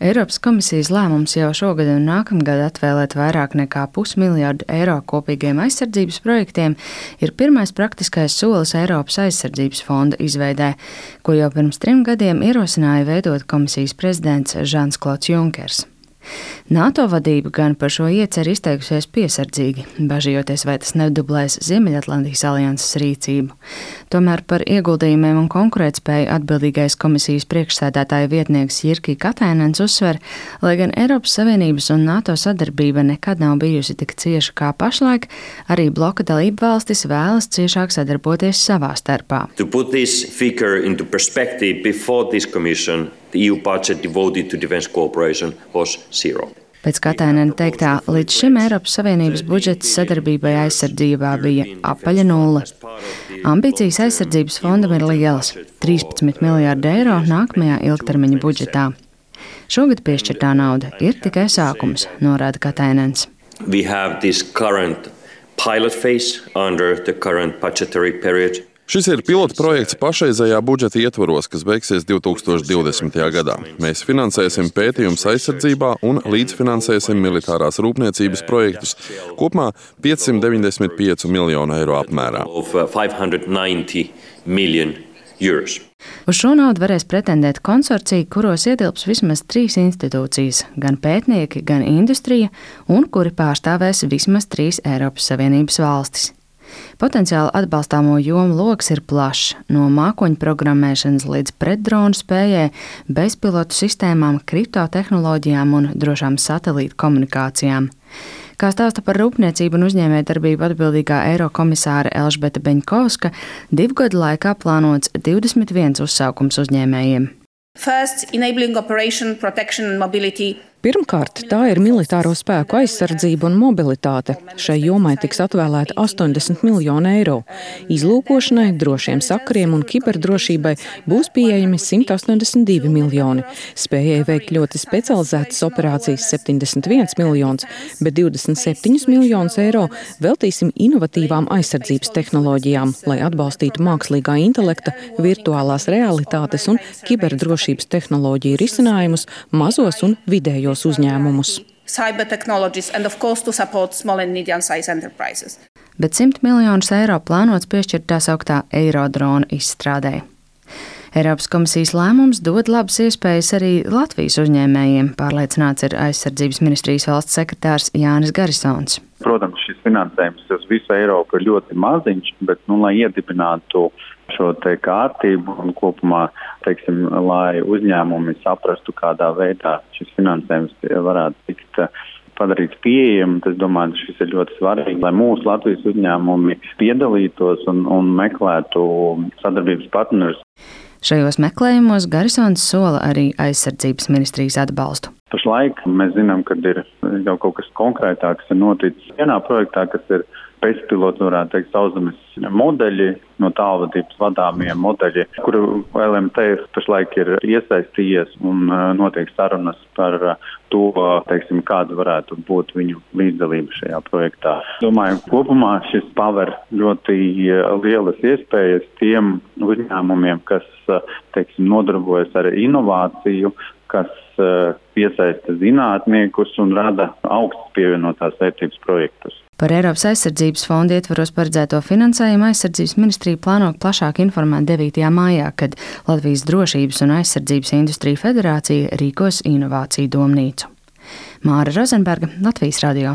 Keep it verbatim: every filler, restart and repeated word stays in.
Eiropas komisijas lēmums jau šogad un nākamgad atvēlēt vairāk nekā pusmiljardu eiro kopīgiem aizsardzības projektiem ir pirmais praktiskais solis Eiropas aizsardzības fonda izveidē, ko jau pirms trim gadiem ierosināja veidot komisijas prezidents Žans Klods Junkers. NATO vadība gan par šo ieceru izteikusies piesardzīgi, bažījoties, vai tas nedublēs Ziemeļatlantijas alianses rīcību. Tomēr par ieguldījumiem un konkurētspēju atbildīgais komisijas priekšsēdētāja vietnieks Jirki Katainens uzsver, lai gan Eiropas Savienības un NATO sadarbība nekad nav bijusi tik cieša kā pašlaik, arī bloka dalību valstis vēlas ciešāk sadarboties savā starpā. To put this figure into perspective, before this commission, the E U budget devoted to defense cooperation was zero. Pēc Katainena teiktā, līdz šim Eiropas Savienības budžets sadarbībai aizsardzībā bija apaļa nulle. Ambīcijas aizsardzības fondam ir lielas – trīspadsmit miljārdi eiro nākamajā ilgtermiņa budžetā. Šogad piešķirtā nauda ir tikai sākums, norāda Katainens. We have this current pilot phase under the current budgetary period. Šis ir pilota projekts pašreizējā budžeta ietvaros, kas beigsies divi tūkstoši divdesmitajā gadā. Mēs finansēsim pētījumus aizsardzībā un līdzfinansēsim militārās rūpniecības projektus kopumā piecsimt deviņdesmit pieci miljonu eiro apmērā. Uz šo naudu varēs pretendēt konsorcija, kuros ietilps vismaz trīs institūcijas – gan pētnieki, gan industrija, un kuri pārstāvēs vismaz trīs Eiropas Savienības valstis. Potenciāli atbalstāmo jomu loks ir plašs, no mākoņu programmēšanas līdz pretdronu spējai, bezpilotu sistēmām, kriptotehnoloģijām un drošām satelītu komunikācijām. Kā stāsta par rūpniecību un uzņēmējdarbību atbildīgā Eirokomisāre Elžbeta Beņkovska, divu gadu laikā plānots divdesmit viens uzsaukums uzņēmējiem. First, enabling operation, protection and mobility. Pirmkārt, tā ir militāro spēku aizsardzība un mobilitāte. Šai jomai tiks atvēlēta astoņdesmit miljoni eiro. Izlūkošanai, drošiem sakariem un kiberdrošībai būs pieejami simt astoņdesmit divi miljoni. Spējai veikt ļoti specializētas operācijas septiņdesmit viens miljonus, bet divdesmit septiņus miljonus eiro veltīsim inovatīvām aizsardzības tehnoloģijām, lai atbalstītu mākslīgā intelekta, virtuālās realitātes un kiberdrošības tehnoloģiju risinājumus mazos un vidējos uzņēmumus. Bet simt miljonus eiro plānots piešķirt tā sauktā eirodrona izstrādē. Eiropas komisijas lēmums dod labas iespējas arī Latvijas uzņēmējiem, pārliecināts ir aizsardzības ministrijas valsts sekretārs Jānis Garisons. Protams, šis finansējums uz visu Eiropu ir ļoti maziņš, bet, nu, lai iedibinātu šo te kārtību un kopumā, teiksim, lai uzņēmumi saprastu, kādā veidā šis finansējums varētu tikt padarīts pieejams. Es domāju, ka šis ir ļoti svarīgi, lai mūsu Latvijas uzņēmumi piedalītos un, un meklētu sadarbības partnerus. Šajos meklējumos Garisons sola arī aizsardzības ministrijas atbalstu. Pašlaik mēs zinām, ka ir jau kaut kas konkrētāks ir noticis vienā projektā, kas ir bezpilots, varētu teikt, sauszemes modeļi, no tālvadības vadāmie modeļi, kuru L M T pašlaik ir iesaistījies un notiek sarunas par to, teiksim, kāda varētu būt viņu līdzdalība šajā projektā. Domāju, kopumā šis paver ļoti lielas iespējas tiem uzņēmumiem, kas, teiksim, nodarbojas ar inovāciju, kas piesaista zinātniekus un rada augstas pievienotās vērtības projektus. Par Eiropas aizsardzības fonda ietvaros paredzēto finansējumu aizsardzības ministrija plāno plašāk informēt devītajā maijā, kad Latvijas drošības un aizsardzības industrija federācija rīkos inovāciju domnīcu. Māra Rozenberga, Latvijas radio.